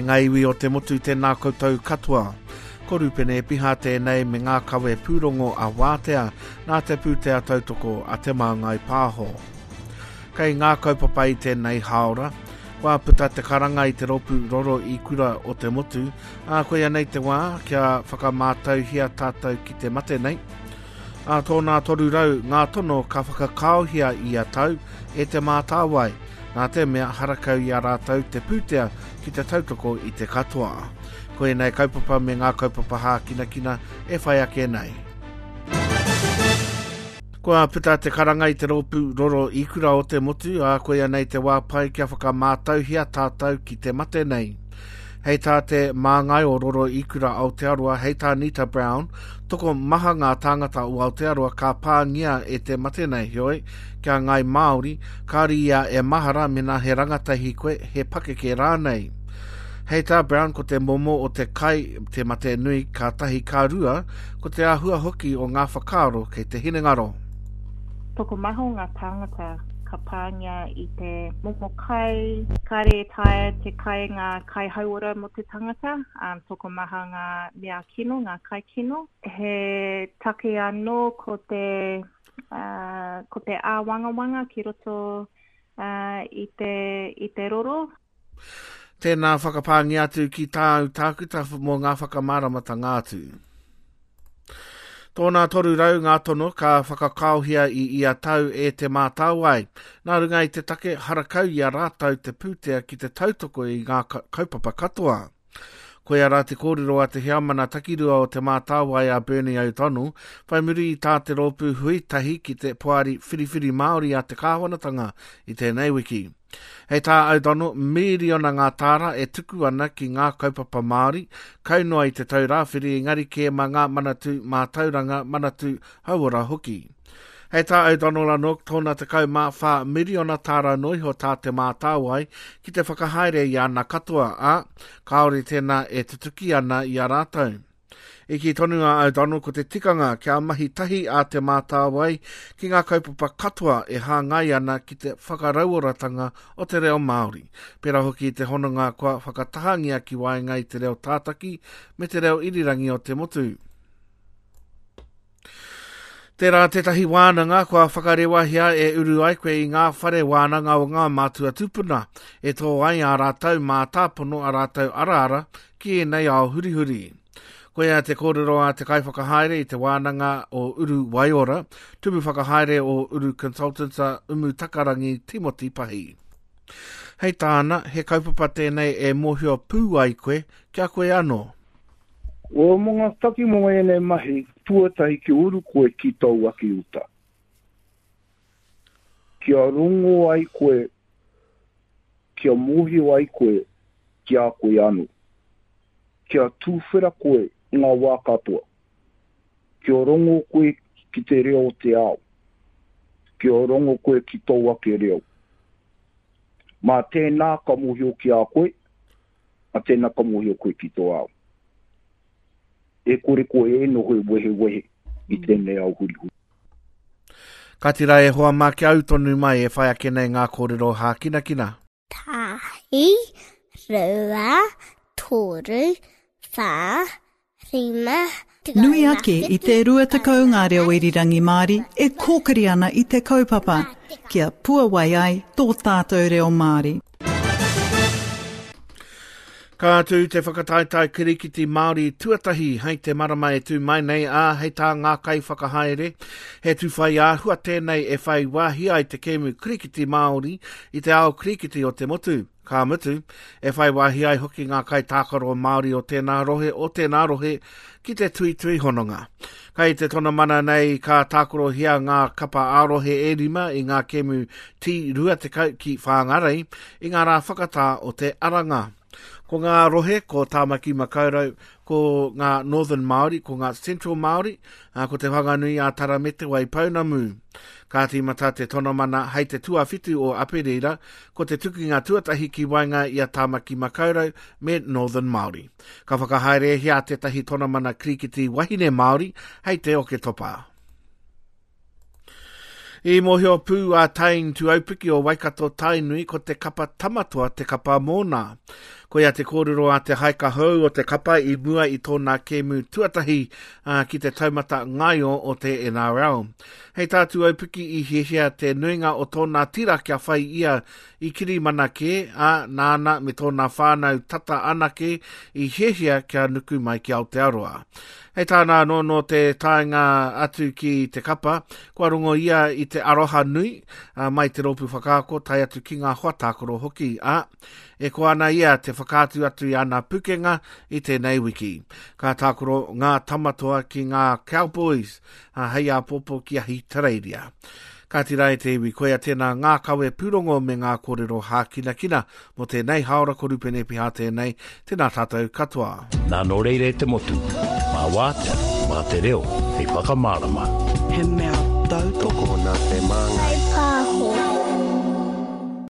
E ngā iwi o te motu tēnā koutou katoa. Ko Rupene Epiha tēnei me ngā kawe pūrongo a Wātea nā te pūtea tautoko a Te Māngai Pāho. Kei ngā kaupapa i tēnei hāora, kua puta te karanga i te rōpū Roro Ikura o te motu, ā, koia nei te wā kia whakamātauhia tātou ki te mate nei. Ā tōnā 300 ngā tono ka whakakaohia ia tau e Te Mātāwai, nā te mea harakau i a rātou te pūtea ki te tautoko i te katoa. Ko ēnei kaupapa me ngā kaupapa hākinakina e whai ake nei. Kua puta te karanga i te rōpū Roro Ikura o te motu, ā, koia nei te wā pai kia whakamātauhia tātou ki te mate nei. Hei tā te māngai o Roro Ikura Aotearoa, hei tā Nita Brown, tokomaha ngā tāngata o Aotearoa ka pāngia e te mate nei, heoi, ki a Ngāi Māori, kāore ia e mahara mēnā he rangatahi koe, he pakeke rānei. Hei tā Brown ko te momo o te kai te mate nui ka tahi ka rua, ko te āhua hoki o ngā whakaaro kei te hinengaro. Tokomaha o ngā tāngata ka pāngia i te momo kai, kāre e taea te kai ngā kai hauora mō te tangata, tokomaha ngā mea kino, ngā kai kino. He take anō ko te, ko te āwangawanga ki roto i te, i te roro. Tēnā whakapāngia atu ki tāu tākuta mō ngā whakamāramatanga atu. Tōnā 300 ngā tono ka whakakaohia i ia tau e Te Mātāwai. Nā runga i te take harakau i a rātou te pūtea ki te tautoko i ngā kaupapa katoa. Koia rā te kōrero a te heamana takirua o Te Mātāwai a Bernie O'Donnell, whai muri i tā te rōpū hui tahi ki te Poari Whiriwhiri Māori a te Kāwanatanga i tēnei wiki. Hei tā O'Donnell, mīriona ngā tāra e tuku ana ki ngā kaupapa Māori, kau noa i Te Taurāwhiri engari kē mā ngā manatū mātauranga, manatū hauora hoki. Hei tā O'Donnell anō, tōna 14 miriona tāra noa iho tā Te Mātāwai ki te whakahaere i ana katoa, ā, kāore tēnā e tutuki ana i a rātou. I kī tonu a O'Donnell ko te tikanga kia mahi tahi a Te Mātāwai ki ngā kaupapa katoa e hāngai ana ki te whakarauoratanga o te reo Māori, pērā hoki i te hononga kua whakatahangia ki waenga i te reo tātaki me te reo irirangi o te motu. Tērā tētahi wānanga kua whakarewahia e uru ai koe i ngā whare wānanga o ngā mātua tūpuna, e tō ai ā rātou mātāpono, ā rātou araara ki ēnei ao hurihuri. Koia te kōrero a te kaiwhakahaere i te wānanga o Uru Waiora, tumu whakahaere o Uru Consultants a Umu Takarangi Timoti Pahi. Hei tāna, he kaupapa tēnei e mōhio pū ai koe ki a koe anō. O mo nga taki mo enei mahi, tuatahi kia uru koe ki tou ake uta. Kia rongo ai koe, kia mohio ai koe ki a koe ano. Kia tuwhera koe i nga wa katoa. Kia rongo koe ki te reo o te ao. Kia rongo koe ki tou ake reo. Ma tēnā ka mohio ki a koe, a tēnā ka mōhio koe ki tō ao. E kore koe e noho e wehewehe i mm. tēnei ao hurihuri. Ka tira e hoa mā kia au tonu mai e whai ake nei ngā kōrero hākinakina. Tahi, rua, toru, whā, Nui ake i te 20 ngā reo irirangi Māori e kōkiri ana i te kaupapa, kia puawai ai tō tātou reo Māori. Ka tū te whakataetae kirikiti Māori tuatahi hei te marama e tū mai nei, ā, hei tā ngā kaiwhakahaere, he tūwhai āhua tēnei e whai wāhi ai te kēmu kirikiti Māori i te ao kirikiti o te motu. Ka mutu, e whai wāhi ai hoki ngā kaitākaro Māori o tēnā rohe, o tēnā rohe ki te tuitui hononga. Kai te tonamana nei ka tākarohia ngā kapa ā-rohe e rima i ngā kēmu T20 ki Whāngarei i ngā rā whakatā o te Aranga. Ko ngā rohe ko Tāmaki Makaurau, ko ngā Northern Māori, ko ngā Central Māori, ā, ko Te Whanganui a Tara me Te Waipounamu. Ka tīmata te tonamana hei te tuawhitu o Aperira, ko te tukinga tuatahi ki waenga i a Tāmaki Makaurau me Northern Māori. Ka whakahaerehia tētahi tonamana kirikiti wahine Māori hei te Oketopa. I mōhio pū a Tane Tuaupiki o Waikato Tainui ko te kapa Tamatoa te kapa mōna. Koia te kōrero a te haika hou o te kapa i mua i tōna kēmu tuatahi ki te taumata ngaio o te NRL. Hei tā Tuaupiki i hiahia te nuinga o tōna tira kia whai ia i kirimana kē, ā, nāna me tōna whānau tata anake i hiahia kia nuku mai ki Aotearoa. Hei tāna anō nō te taenga atu ki te kapa, kua rongo ia i te aroha nui mai te rōpū whakaako tae atu ki ngā hoa tākaro hoki, ā, e koa ana ia te whakaatu atu i ana pukenga i tēnei wiki. Ka tākaro ngā Tamatoa ki ngā Cowboys hei āpōpō ki Ahitereiria. Kāti rā e te iwi, koia tēnā ngā kawe pūrongo me ngā kōrero hākinakina mō tēnei hāora ko Rupene Piha tēnei, tēnā tātou katoa. Nā nō reira e te motu, mā wātea, mā te reo hei whakamārama. He mea tautoko. Tokona te māngai.